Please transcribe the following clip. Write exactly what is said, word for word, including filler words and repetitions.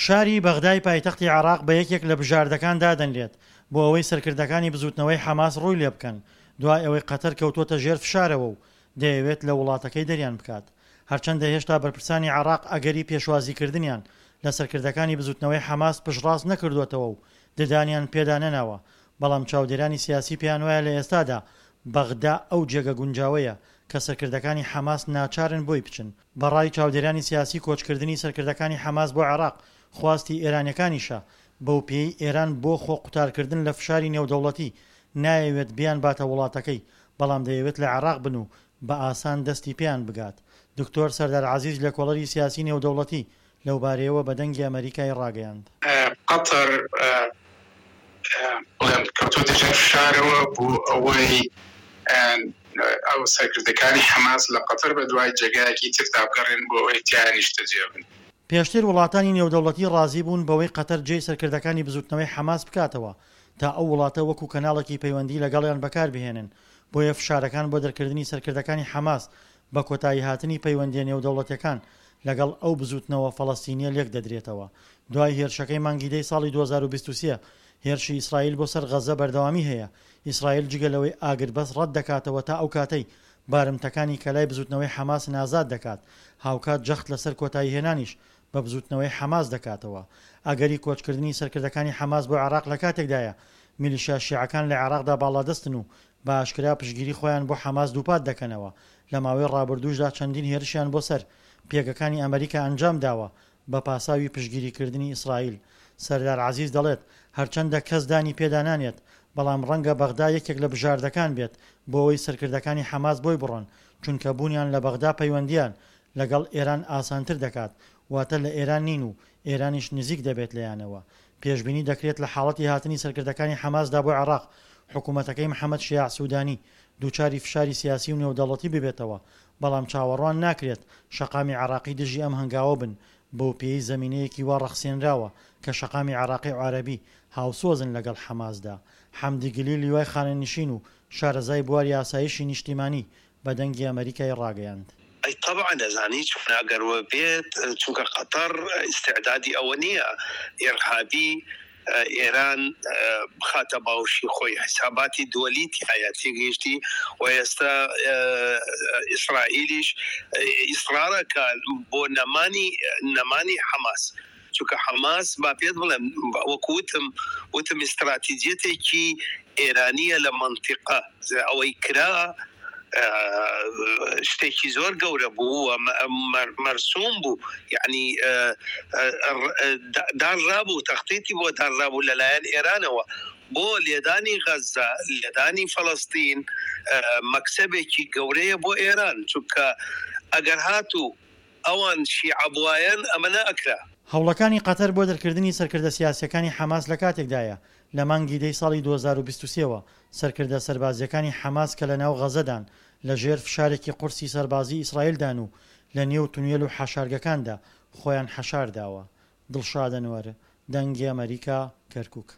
شاری بەغدای پایتەختی عێراق بە یەکێک لە بژاردەکان دادەنرێت بۆ ئەوەی سەرکردەکانی بزوتنەوەی حەماس ڕووی لێبکەن، دوای ئەوەی قەتەر کەوتووەتە ژێر فشارەوە و دەیەوێت لە وڵاتەکەی دەریان بکات. هەرچەندە هێشتا بەرپرسانی عێراق ئەگەری پێشوازیکردنیان لە سەرکردەکانی بزوتنەوەی حەماس پشتڕاست نەکردووەتەوە و ددانیان پێدا نەناوە، بەڵام چاودێرانی سیاسی پێیانوایە لە ئێستادا بەغدا ئەو جێگە گونجاوەیە کە سەرکردەکانی حەماس ناچارن بۆی بچن. بە ڕای چاودێرانی سیاسی کۆچکردنی سەرکردەکانی حەماس بۆ عێراق خواستی ئێرانیەکانیشە، بەوپێیەی ئێران بۆ خۆ قوتارکردن لە فشاری نێودەوڵەتی نایەوێت بیانباتە وڵاتەکەی، بەڵام دەیەوێت لە عێراق بن و بە ئاسان دەستی پێیان بگات. دکتۆر سەردار عەزیز لێکۆڵەری سیاسی نێودەوڵەتی لەوبارەیەوە بە دەنگی ئەمەریکای ڕاگەیاند. قەتەر بڵێم کەوتۆتە ژێر فشارەوە بۆ ئەوەی ئەو سەرکردەکانی حەماس لە قەتەر بە دوای جێگایەکی تردا بگەڕێن بۆ ئەوەی تیایا نیشتەجێ بن. پێشتر وڵاتانی نێودەوڵەتی ڕازی بوون بەوەی قەتەر جێی سەرکردەکانی بزوتنەوەی حەماس بکاتەوە تا ئەو وڵاتە وەکو کەناڵێکی پەیوەندی لەگەڵیان بەکاربهێنن، بۆیە فشارەکان بۆ دەرکردنی سەرکردەکانی حەماس بە کۆتاییهاتنی پەیوەندییە نێودەوڵەتیەکان لەگەڵ ئەو بزوتنەوە فەڵەستینیە لێکدەدرێتەوە. دوای هێرشەکەی مانگی دەی ساڵی دوو هەزار و بیست و سێ، هێرشی ئیسرائیل بۆ سەر غەززە بەردەوامی هەیە، ئیسرائیل جگە لەوەی ئاگربەست ڕەت دەکاتەوە تا ئەو کاتەی بارمتەکانی کە لای بزوتنەوەی حەماسن ئازاد دەکات، هاوکات جەخت لەسەر کۆتاییهێنانیش بە بزوتنەوەی حەماس دەکاتەوە. ئەگەری کۆچکردنی سەرکردەکانی حەماس بۆ عێراق لە کاتێکدایە میلیشیا شیعەکان لە عێراقدا باڵادەستن و بە ئاشکرا پشتگیری خۆیان بۆ حەماس دووپات دەکەنەوە، لە ماوەی ڕابردووشدا چەندین هێرشیان بۆ سەر پێگەکانی ئەمریکا ئەنجام داوە بە پاساوی پشتگیریکردنی ئیسرائیل. سەردار عەزیز دەڵێت، هەرچەندە کەس دانی پێدا نانێت، بەڵام ڕەنگە بەغدا یەکێک لە بژاردەکان بێت بۆ ئەوەی سەرکردەکانی حەماس بۆی بڕۆن، چونکە بوونیان لە بەغدا پەیوەندییان لەگەڵ ئێران ئاسانتر دەکات، واتە لە ئێران نین و ئێرانیش نزیک دەبێت لێیانەوە. پێشبینی دەکرێت لە حاڵەتی هاتنی سەرکردەکانی حەماسدا بۆ عێراق، حکومەتەکەی محەمەد شیاع سودانی دووچاری فشاری سیاسی و نێودەوڵەتی ببێتەوە، بەڵام چاوەڕوان ناکرێت شەقامی عێراقی دژی ئەم هەنگاوە بن، بەوپێیەی زەمینەیەکی وا ڕەخسێنراوە کە شەقامی عێراقی و عەرەبی هاوسۆزن لەگەڵ حەماسدا. حەمدی گلی لیوای خانەنشین و شارەزای بواری ئاسایشی نیشتیمانی بە دەنگی ئەمەریکای ڕاگەیاند. ئەی تەبعەن ئەزانی چۆنە ئەگەر وەبێت چونکە قەتەر ئیستعدادی ئەوە نییە ئیرهابی ئێران بخاتە باوشی خۆی حیساباتی دووەلی تایە تێگەیشتی و ئێستا ئیسرائیلیش ئیسرارەکە بۆ نەمانی نەمانی حەماس چونکە حەماس با پێت بڵێم وەکو وتم وتم ئیستراتیجیەتێکی ئێرانیە لە مەنتیقە ئەوەی کرا شتێکی زۆر گەورە بوو و مەرسوم بوو یعنی دانرابوو تەختیتی بۆ دانرابوو لەلایەن ئێرانەوە بۆ لێدانی غەزە لێدانی فەڵەستین مەکسەبێکی گەورەیە بۆ ئێران چونکە ئەگەر هاتوو ئەوان شیعە بوایەن ئەمە نەئەکرا. هەوڵەکانی قەتەر بۆ دەرکردنی سەرکردە سیاسییەکانی حەماس لە کاتێکدایە، لە مانگی دەی ساڵی دوو هەزار و بیست و سێ وە سەرکردە سەربازییەکانی حەماس کە لەناو غەزەدان لە ژێر فشارێکی قورسی سەربازیی ئیسرائیلدان و لە نێو تونێل و حەشارگەکاندا خۆیان حەشارداوە. دڵشاد ئەنوەر، دەنگی ئەمەریکا، کەرکوک.